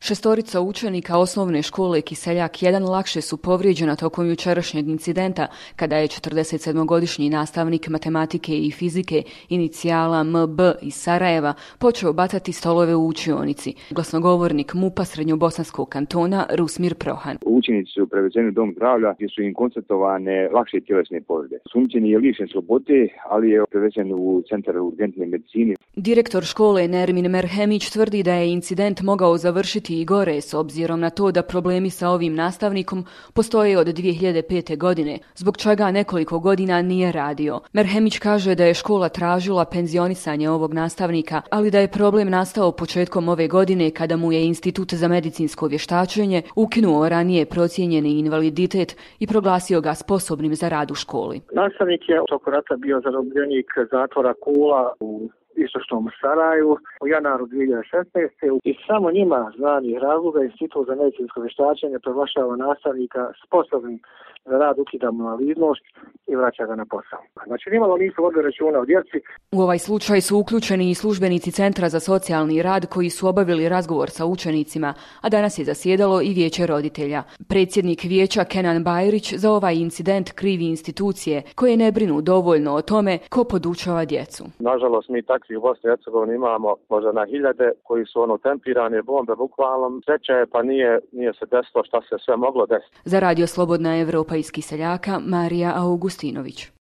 Šestorica učenika osnovne škole Kiseljak 1 lakše su povrijeđena tokom jučerašnjeg incidenta kada je 47-godišnji nastavnik matematike i fizike inicijala MB iz Sarajeva počeo bacati stolove u učionici. Glasnogovornik MUP-a Srednjobosanskog kantona Rusmir Prohan. Učenici su prevezeni u dom zdravlja gdje su im konstatovane lakše tjelesne povrede. Osumnjičeni je lišen slobode, ali je prevezen u centar urgentne medicine. Direktor škole Nermin Merhemić tvrdi da je incident mogao završiti i gore s obzirom na to da problemi sa ovim nastavnikom postoje od 2005. godine, zbog čega nekoliko godina nije radio. Merhemić kaže da je škola tražila penzionisanje ovog nastavnika, ali da je problem nastao početkom ove godine kada mu je Institut za medicinsko vještačenje ukinuo ranije procijenjeni invaliditet i proglasio ga sposobnim za rad u školi. Nastavnik je tokom rata bio zarobljenik zatvora Kula u istočnom Saraju u januaru 2016. I samo njima znanih razloga Institut za medicinsko vještačenje proglašava nastavnika sposobnim za rad, ukida mu invalidnost i vraća ga na posao. Znači nimalo nisu vodili računa o djeci. U ovaj slučaj su uključeni i službenici Centra za socijalni rad koji su obavili razgovor sa učenicima, a danas je zasjedalo i vijeće roditelja. Predsjednik vijeća Kenan Bajrić za ovaj incident krivi institucije koje ne brinu dovoljno o tome ko podučava djecu. Nažalost, mi takvih u Bosni i Hercegovini imamo možda na hiljade koji su tempirane bombe bukvalno. Sreća je pa nije se desilo šta se sve moglo desiti. Za Radio Slobodna Evropa iz Kiseljaka, Marija Augustinović.